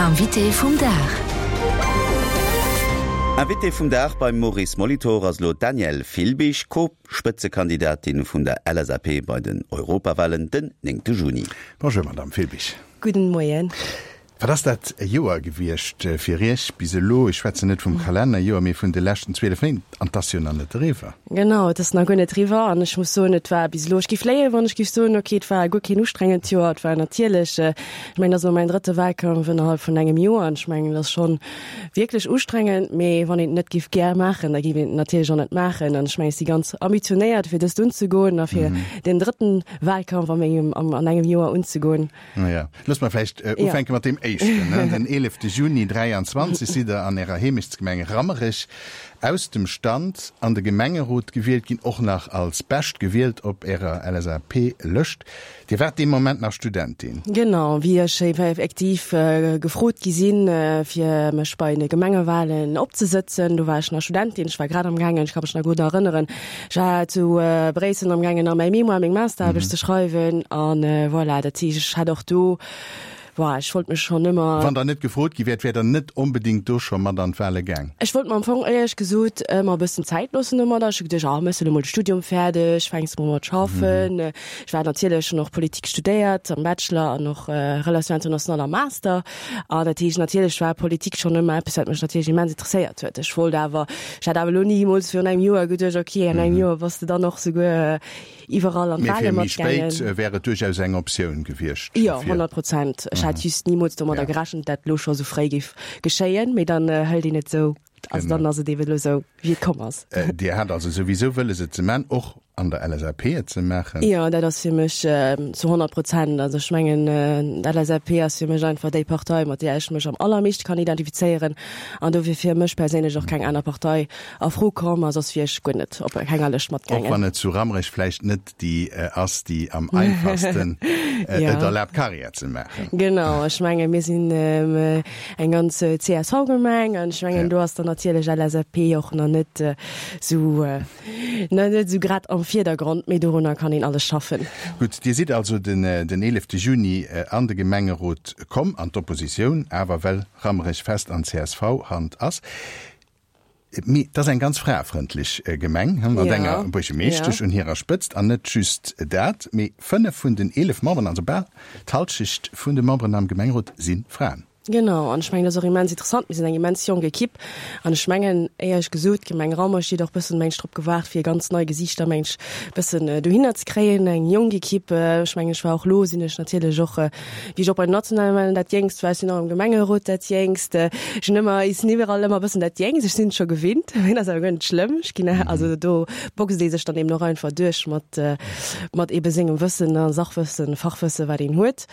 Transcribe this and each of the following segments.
Invité vum Dag. Invité vum Dag beim Maurice Molitor ass elo d'Danièle Filbig, Co-Spëtzekandidatin vun der LSAP bei den Europawahlen den 9 Juni. Bonjour Madame Filbig. Gudden Moien. Wat ass dat e Joer gewiescht fir Iech bis elo? Ech schwätzen net vum Kalennerjoer, mee vun de leschten 12 Méint. An 't ass jo nach net eriwwer. Genau, et ass nach guer net eriwwer. An ech muss soen, et war bis elo, ech géif léien, wann ech géif soen, okay, et war guer keen ustrengend Joer. Et war natierlech, ech mengen, et ass elo mäin drëtte Wahlkampf ënnerhalb vun engem Joer. An ech mengen, et ass schonn wierklech ustrengend. Mee wann een et net géif gär maachen, da géif een et natierlech och net maachen. An ech mengen, ech si ganz ambitionéiert, fir dëst unzegoen a fir deen drëtten Wahlkampf a mengem, an engem Joer unzegoen. Ja, looss mer vläicht ufänke mat deem éischten. Den 11 Juni 23 sidd Der an Ärer Heemechtsgemeng Rammerech aus dem Stand an de Gemengerot gewielt ginn, och nach als Bescht gewielt op Ärer LSAP-Lëscht. Dir waart dee Moment nach Studentin. Genau, wéi ech effektiv gefrot gi sinn, fir mech bei de Gemengewalen opzesëtzen, do war ech nach Studentin. Ech war grad am gaangen, ech ka mech nach gutt erënneren, Ech war zu Bréissel am gaangen a mäi Mémoire, meng Masteraarbecht ze schreiwen an voilà, dat heescht ech hat och do, boah, ech wollt mech schonn ëmmer. Wann Der net gefrot gi wäert, wäert Der net onbedéngt do scho mat an d'Wale gaang? Ech wollt mer am Fong éierlech gesot ëmmer e bëssen Zäit loossen domadder. Ech hu geduecht, ah, méchs de elo mol de Studium fäerdeg, fänks mol mat schaffen. Ech war natierlech, hunn och Politik studéiert am Bachelor an och Relations internationales am Master. An dat heescht, natierlech war Politik schonn ëmmer eppes, wat mech natierlech immens interesséiert huet. Ech wollt awer, ech hat awer elo nimools virun engem Joer geduecht, okay, an engem Joer bass de dann och souguer iwwerall an Mee d'Wale fir méi matgaangen. spéit wär et duerchaus eng Optioun gewiescht Jo, fir. 100 Prozent. Ech hat just nimools domadder Ja. gerechent, dat elo scho sou fréi géif geschéien. Mee dann hëlt een et sou, also dann Genau. ass et eeben elo sou, wéi et komm ass. Dir hat also souwisou wëlles et ze man, och an der LSAP et ze maachen? Jo, dat ass fir mech zu 100 Prozent. Also ech mengen, d'LSAP ass fir mech einfach déi Partei, mat där ech mech am allermeeschte kann identifizéieren. An do wier fir mech perséinlech och keng aner Partei a Fro komm a soss wier ech guer net op kenger Lëscht Och matgaangen. wann et zu Rammerech vläicht net déi ass, déi am einfachsten et erlaabt, Karriär ze maachen. Genau, ech menge mir sinn eng ganz CSV-Gemeng an ech mengen, do ass dann natierlech LSAP och nach net esou Na, net esou grad am Virdergrond, mee dorunner kann een alles schaffen. Gutt, Dir sidd also den 11 Juni an de Gemengerot komm, an d'Oppositioun, awer well Rammerech fest an CSV-Hand ass. Mee et ass eng ganz fraefrëndlech Gemeng, mat enger Buergermeeschtesch un hirer Spëtzt. An net just dat, mee 5 vun den 11 Memberen, also bal d'Halschecht vun de Memberen am Gemengerot, si Fraen. Genau, an ech mengen, dat ass och immens interessant. Mir sinn eng immens jonk Ekipp an ech mengen, éierlech gesot, d'Gemeng Rammerich huet och bëssen, mengen ech, drop gewaart, fir ganz nei Gesiichter, mengen ech, bëssen dohinner ze kréien, eng jonk Ekipp. Ech mengen, ech war och elo, sinn ech natierlech och, wéi ech och bei den nationale Wahlen dat Jéngst war, ech sinn och am Gemengerot dat Jéngst. Ech hunn ëmmer, ech sinn iwwerall ëmmer e bëssen dat Jéngst. Ech sinn et scho gewinnt, mee dat ass awer guer net schlëmm. Ech ginn, also do boxt ee sech dann eben och einfach duerch mat, mat ebe sengem Wëssen a Sachwëssen, Fachwëssen, wat een huet.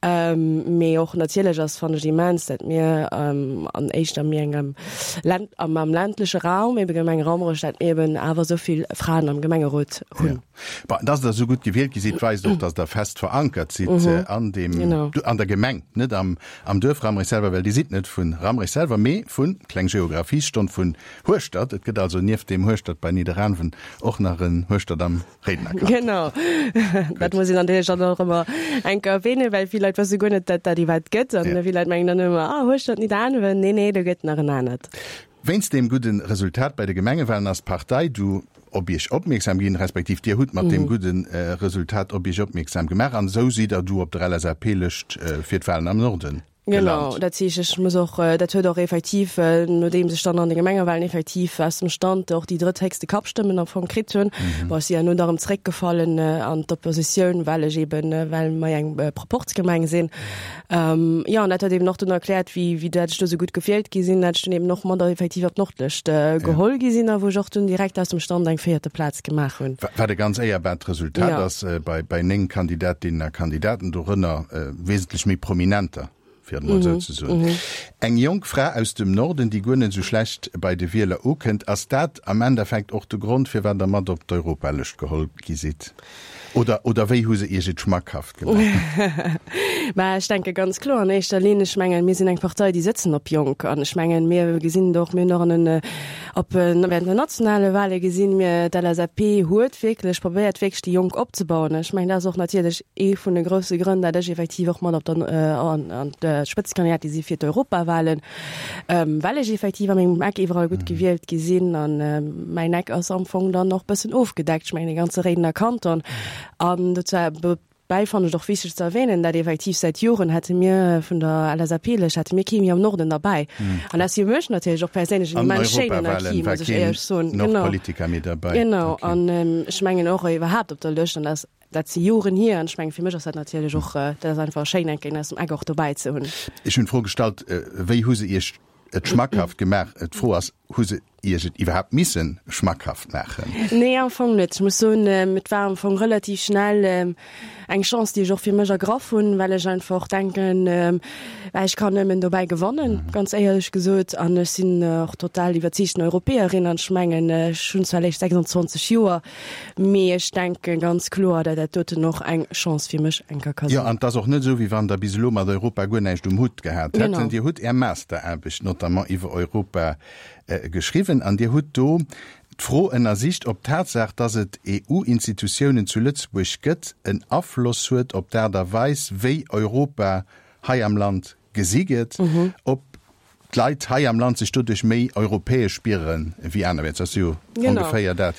Mee och natierlech ass, fannen ech immens, dat mir an éischter méi engem Länd, am am ländleche Raum, ebe Gemeng Rammerech, dat mir eben awer esou vill Fraen am Gemengerot hunn. Ja. Bon, dass Der esou gutt gewielt gi sidd, weist och, dass Der fest verankert sidd an deem, an der Gemeng, net am am Duerf Rammerech selwer, well Dir sidd net vu Rammerech selwer, mee vun, kleng Geographiesstonn, vun Hueschtert. Et gëtt also nieft deem Hueschtert bei Nidderaanwen och nach en Hueschtert am Réidener Kanton. Genau, dat muss een natierlech dann och ëmmer eng Kéier erwähnen, well vill Leit wësse guer net, datt dat iwwerhaapt gëtt. An vill Leit mengen dann ëmmer, ah, Hueschtert, Nidderaanwen, nee, nee, do gëtt nach en anert. Wéinst deem gudde Resultat bei de Gemengewalen ass d'Partei du op Iech opmierksam ginn, respektiv Dir hutt mat deem gudde Resultat op Iech opmierksam gemaach an esou sidd Der du op der LSAP-Lëscht fir d'Walen am Norden. Genau, dat heescht, ech muss och, dat huet och effektiv, nodeems ech dann an de Gemengewahlen effektiv aus dem Stand och déi drëtthéchste Kappstëmmen am Fong kritt hunn, bon, ech si herno da erëm zeréckgefallen an d'Oppositioun, well ech eben, well mer eng Proporzgemeng sinn. Jo, an dat huet eben och dunn erkläert, wéi, wéi dat ech do esou gutt gewielt gi sinn, dat ech dunn eben och mat effektiv op d'Nordlëscht geholl gi sinn a wou ech och dunn direkt aus dem Stand eng véierte Plaz gemaach hunn. Wat e ganz éierbaart Resultat ass bei, bei 9 Kandidatinnen a Kandidaten, dorënner wesentlech méi prominenter, fir et emol esou ze soen. Eng jonk Fra aus dem Norden, déi guer net esou schlecht bei de Wieler ukënnt. Ass dat am Endeffekt och de Grond, firwat Der mat op d'Europalëscht geholl gi sidd? Oder, oder wéi hu se Iech et schmackhaft gemaach? Mä ech denke ganz kloer an éischter Linn, ech mengen, mir sinn eng Partei, déi sëtzen op Jonk. An ech mengen, mir gesinn et och, mir hunn och an den, op während den nationale Wahle gesinn, mir, d'LSAP huet wierklech probéiert, wierklech déi Jonk opzebauen. Ech mengen, dat ass och natierlech ee vun de grousse Grënn, dat ech effektiv och mat op der, an, an d'Spëtzekandidatin si fir d'Europawahlen. Well ech effektiv a mengem Eck iwwerall gutt gewielt gi sinn an mäin Eck ass am Fong dann och bëssen ofgedeckt, ech mengen de ganze Réidener Kanton. An dozou bäi fannen ech et och wichteg ze erwähnen, dat effektiv säit Joren hätte mir vun der LSAP-Lëscht hätte mir kee méi am Norden derbäi. An dat ass fir mech natierlech och perséinlech en An immens schéinen Europawahlen Acquis, war muss ech keen éierlech soen. Genau. Nordpolitiker méi derbäi. Genau. Okay. An ech mengen och iwwerhaapt op der Lëscht, an dat ass Dat si Joren hier an ech mengen, fir mech ass dat natierlech och, dat ass einfach schéin, eng Kéier aus dem Eck och dobäi ze hunn. Ech hunn d'Fro gestallt, Wéi hu se Iech et schmackhaft gemaach? D'Fro ass, Hu se Iech et iwwerhaapt misse schmackhaft maachen? Nee, am Fong net. Ech muss soen, et war am Fong relativ schnell eng Chance, déi ech och fir mech ergraff hunn, well ech einfach denken, well ech kann nëmmen dobäi gewannen, ganz éierlech gesot. An ech sinn och total iwwerzeegten Europäerin an ech mengen, ech hunn zwar eréischt 26 Joer, Mee ech denke ganz kloer, dat dat doten och eng Chance fir mech eng Kéier ka sinn. Jo, an et ass och net esou, wéi wann Der bis elo mat Europa guer näischt um Hutt gehat hätt. Genau. Dir hutt Är Masteraarbecht notamment iwwer Europa geschriwwen an Dir hutt do d'Fro ënnersicht, ob d'Tatsaach, dass et EU-Institutiounen zu Lëtzebuerg gëtt, en Afloss huet op d'Aart a Weis, wéi Europa hei am Land gesi gëtt, ob d'Leit hei am Land sech doduerch méi europäesch spiere wéi anerwäerts. Dat ass jo ongeféier dat,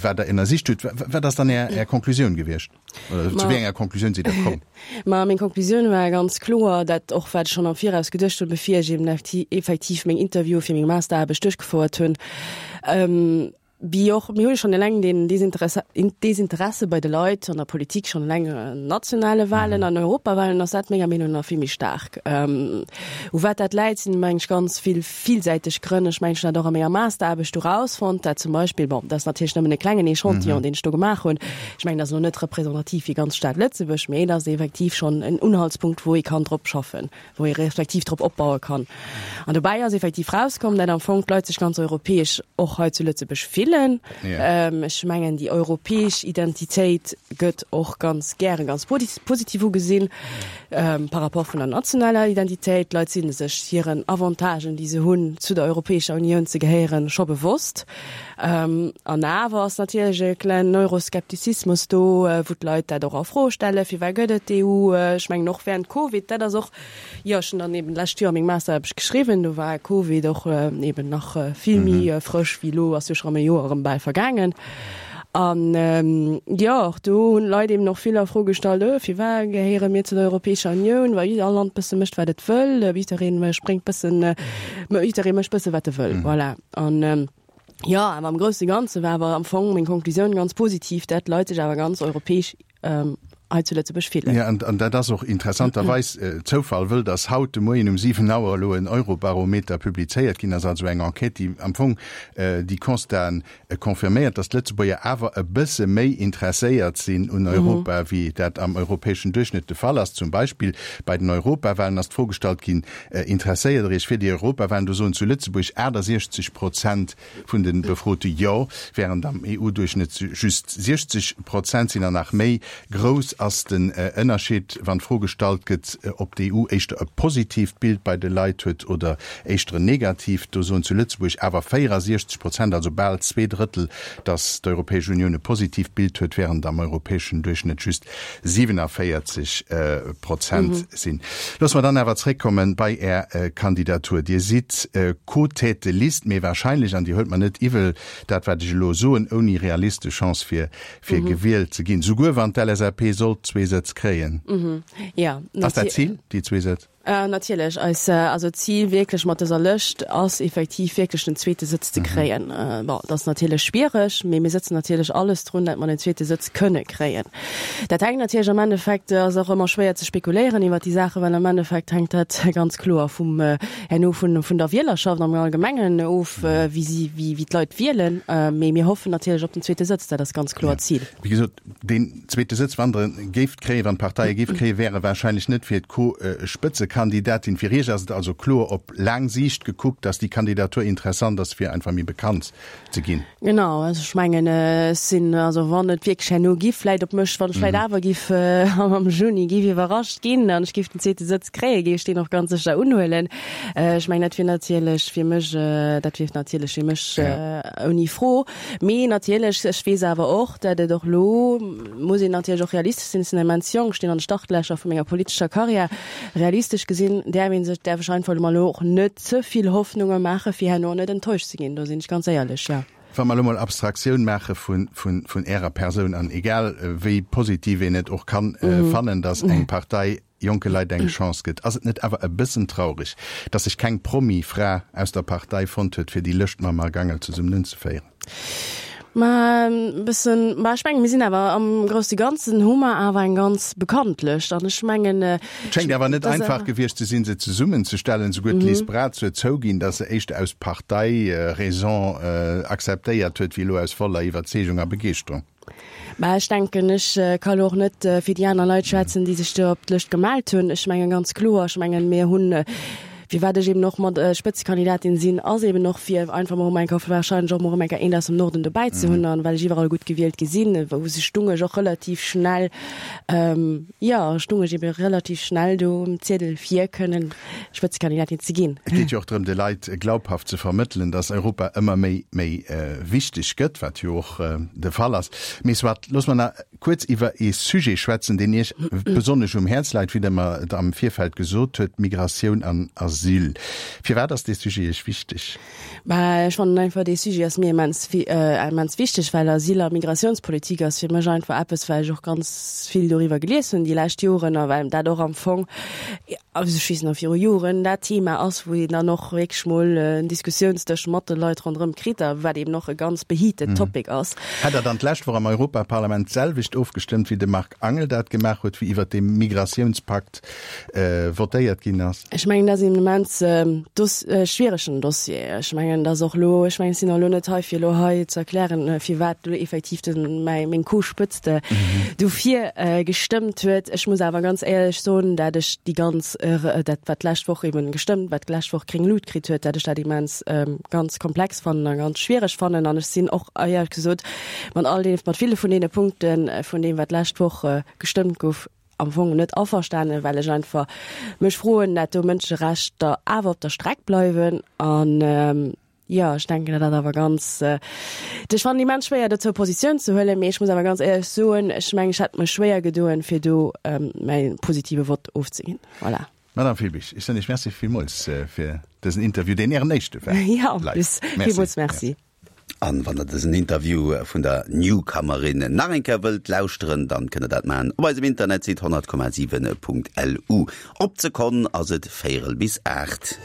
wat Der ënnersicht hutt. Wat ass dann Är Konklusioun gewiescht? Oder zu wéi enger Konklusioun sidd Der komm? Ma meng Konklusioun war ganz kloer, dat och wat ech schonn am Viraus geduecht hunn, bevir ech eben effektiv meng Interviewe fir meng Masteraarbecht duerchgefouert hunn, Wéi och, mir hu jo schonn eleng deen Desinteresse bei de Leit an der Politik, schonn eleng an nationale Wahlen, an Europawahlen ass dat menger Meenung nach vill méi staark. U wat dat läit, sinn, meng ech, ganz vill villsäiteg Grënn. Ech mengen, ech hunn dat och a menger Masteraarbecht do erausfonnt, dat zum Beispill, bon, dat ass natierlech nëmmen e klengen Echantillon, deen ech do gemaach hunn, ech mengen, dat ass elo net representativ fir ganz Stad Lëtzebuerg, mee et ass effektiv schonn en Unhaltspunkt, wou ee kann drop schaffen. wou ee respektiv drop opbaue kann. An dobäi ass effektiv rauskomm, dat am Fong d'Leit sech ganz europäesch och hei zu Lëtzebuerg fillen. Ech mengen, déi europäesch Identitéit gëtt och ganz gären ganz positiv ugesinn par rapport vun der nationaler Identitéit. D'Leit si sech hiren Avantagen, déi se hunn, zu der Europäescher Unioun ze gehéieren, scho bewosst. An awer ass natierlech e klengen Euroskeptizismus do, wou d'Leit dat och a Fro stellen, Firwat gëtt et d'EU? Ech mengen och während Covid, dat ass och, jo, ech hunn dann eben d'lescht Joer meng Masteraarbecht geschriwwen, do war Covid och eben nach vill méi frësch wéi elo, ass jo scho erëm e Joer erëm bal vergaangen. An jo, och do hunn d'Leit eben och vill a Fro gestallt, Öh, firwat gehéiere mir zu der Europäescher Unioun, well all Land bësse mécht, wat et wëll, jidderee spréngt bëssen, jidderee mécht bësse wat e wëll, voilà. An jo, awer am grousse Ganze war awer am Fong meng Konklusioun ganz positiv, dat d'Leit sech awer ganz europäesch hei zu Lëtzebuerg fillen. Jo, an dat ass och interessanterweis, Zoufall wëll, datt haut de Moien um 7 Auer elo en Eurobarometer publizéiert ginn ass, also eng Enquête, déi am Fong déi Constaten confirméiert, datt d'Lëtzebuerger awer e bësse méi interesséiert sinn un Europa, wéi dat am europäeschen Duerchschnëtt de Fall ass. Zum Beispill bei den Europawahlen ass d'Fro gestallt ginn, Interesséiert Der Iech fir déi Europawahlen? Do soen zu Lëtzebuerg 68 Prozent vun de Befrote Jo, wärend am EU-Duerchschnëtt just 60 Prozent sinn. An nach méi grouss ass den Ënnerscheed, wann d'Fro gestallt gëtt, ob d'EU éischter e positiivt Bild bei de Leit huet oder éischter en negatiivt. Do soen zu Lëtzebuerg awer 64 Prozent, also bal zwee Drëttel, datt d'Europäesch Unioun e positiivt Bild huet, wärend am europäeschen Duerchschnëtt just 47 Prozent sinn. Loosse mer dann awer zréckkomme bei Är Kandidatur. Dir sidd Co-Tête de liste, mee wahrscheinlech, an Dir huelt mer net iwwel dat wat ech elo soen, ouni realistesch Chance fir fir gewielt ze ginn, souguer wann d'LSAP sollt zwee Sëtz kréien. Ass dat d'Zil, déi zwee Sëtz? Natierlech, eis, also d'Zil wierklech mat dëser Lëscht ass effektiv wierklech den zweete Sëtz ze kréien. Bon, dat ass natierlech schwiereg, mee mir sëtzen natierlech alles drun, dat mer den zweete Sëtz kënne kréien. Dat hänkt natierlech am Endeffekt, ass och ëmmer schwéier ze spekuléieren iwwert déi Saachen, well am Endeffekt hänkt dat ganz kloer vum, herno vun, vun der Wielerschaft am Allgemengen of, wéi si, wéi, wéi d'Leit wielen. Mee mir hoffen natierlech op den zweete Sëtz, dat ass ganz kloer d'Zil. Wéi gesot, deen zweete Sëtz, wann Der e géift kréien, wann d'Partei e géif kréien, wär e wahrscheinlech net fir d'Co-Spëtzekandidatin. Spëtzekandidatin. Fir Iech ass et also kloer op laang Siicht gekuckt, datt déi Kandidatur interessant ass, fir einfach méi bekannt ze ginn. Genau, also ech mengen, ech sinn, also wann et wierklech herno giff vläit op mech, wann ech vläit awer giff am Juni giff iwwerrascht ginn an ech giff den zweete Sëtz kréien, géif ech deen och ganz sécher unhuelen. Ech mengen, dat wier natierlech fir mech, dat wier natierlech fir mech ouni Fro. Mee natierlech, ech weess awer och, dat et och elo, muss een natierlech och realistesch sinn, ech sinn immens jonk, stinn an de Startlächer vu menger politescher Karriär, realistesch gesinn däerf ee sech, däerf ech einfach elo mol och net ze vill Hoffnunge maache fir herno net enttäuscht ze ginn, do sinn ech ganz éierlech, jo. Wa mer elo mol Abstraktioun maache vun Ärer Persoun, an egal wéi positiv een et och kann fannen, datt eng Partei jonke Leit eng Chance gëtt, ass et net awer e bëssen traureg, datt sech keng Promi-Fra aus der Partei fonnt huet, fir déi Lëscht mam Marc Angel zesummen unzeféieren? Ma e bëssen, ma ech mengen, mir sinn awer am grousse Ganzen hu mer awer eng ganz bekannt Lëscht an ech mengen, Et schéngt awer net einfach gewiescht ze sinn, se zesummenzestellen. Souguer d'Liz Braz huet zouginn, datt se éischter aus Partei-Raison akzeptéiert huet, wéi elo aus voller Iwwerzeegung a Begeeschterung. Mä ech denken, ech ka lo och net fir déi aner Leit schwätzen, déi sech do op d'Lëscht gemellt hunn. Ech mengen ganz kloer, ech mengen, mir hunn, firwat ech eben och mat Spëtzekandidatin sinn, ass eben och fir einfach mol erëm eng Kéier wahrscheinlech och mol erëm eng Kéier eent aus dem Norden dobäi ze hunn. An well ech iwwerall gutt gewielt gi sinn, wou sech stung ech och relativ schnell, jo, stung ech ebe relativ schnell do um Ziedel fir kënnen Spëtzekandidatin ze ginn. Et geet jo och drëm, de Leit glaubhaft ze vermëttelen, datt Europa ëmmer méi méi wichteg gëtt, wat jo och de Fall ass. Mee soit, looss mer nach kuerz iwwer ee Sujet schwätzen, deen Iech besonnesch um Häerz läit, wéi Der mer et am Virfeld gesot huet, Migratioun an Asyl. Firwat ass dee Sujet Iech wichteg? Bah, ech fannen einfach, dee Sujet ass mir immens, immens wichteg, well Asyl a Migratiounspolitik ass fir mech einfach eppes, well ech och ganz vill doriwwer gelies hunn déi lescht Joren a well dat och am Fong, also ech weess nach viru Joren, dat Thema ass, wou een dann och wierklech mol en Diskussiounsdësch mat de Leit ronderëm kritt a wat eben och e ganz beheated Topic ass. Hätt Der dann d'lescht Woch am Europaparlament d'selwecht ofgestëmmt, wéi de Marc Angel dat gemaach huet, wéi iwwert dee Migratiounspakt votéiert ginn ass? Ech mengen, dat ass een immens schwieregen Dossier. Ech mengen, dass och elo, ech mengen, ech sinn och elo net hei, fir elo hei ze erklären, firwat elo effektiv de mäi meng Co-Spëtzt dofir gestëmmt huet. Ech muss awer ganz éierlech soen, dat ech déi ganz, dat wat d'lescht Woch eben gestëmmt, wat d'lescht Woch gréng Lut kritt huet, dat ech dat immens ganz komplex fannen a ganz schwiereg fannen. An ech sinn och éierlech gesot mat all deene, mat ville vun deene Punkte vun deem, wat d'lescht Woch gestëmmt gouf, am Fong net averstanen, well ech einfach mech froen, dat do Mënscherechter awer op der Streck bleiwen. An jo, ech denken, dat dat awer ganz, ech fannen immens schwéier dozou Positioun ze huelen, mee ech muss awer ganz éierlech soen, ech mengen, ech hätt mech schwéier gedoen, fir do mäi positive Vott ofzeginn. Voilà. Madame Filbig, ech soen Iech Merci villmools fir dësen Interview, deen Ären éischte war. Jo, en plus. Villmools Merci. An wann der dësen Interview vun der Newcomerin nach eng Kéier wëllt lauschteren, dann kënnt der dat maachen op eisem Internetsite 100,7.lu. Op d'Sekonn ass et véierel bis 8.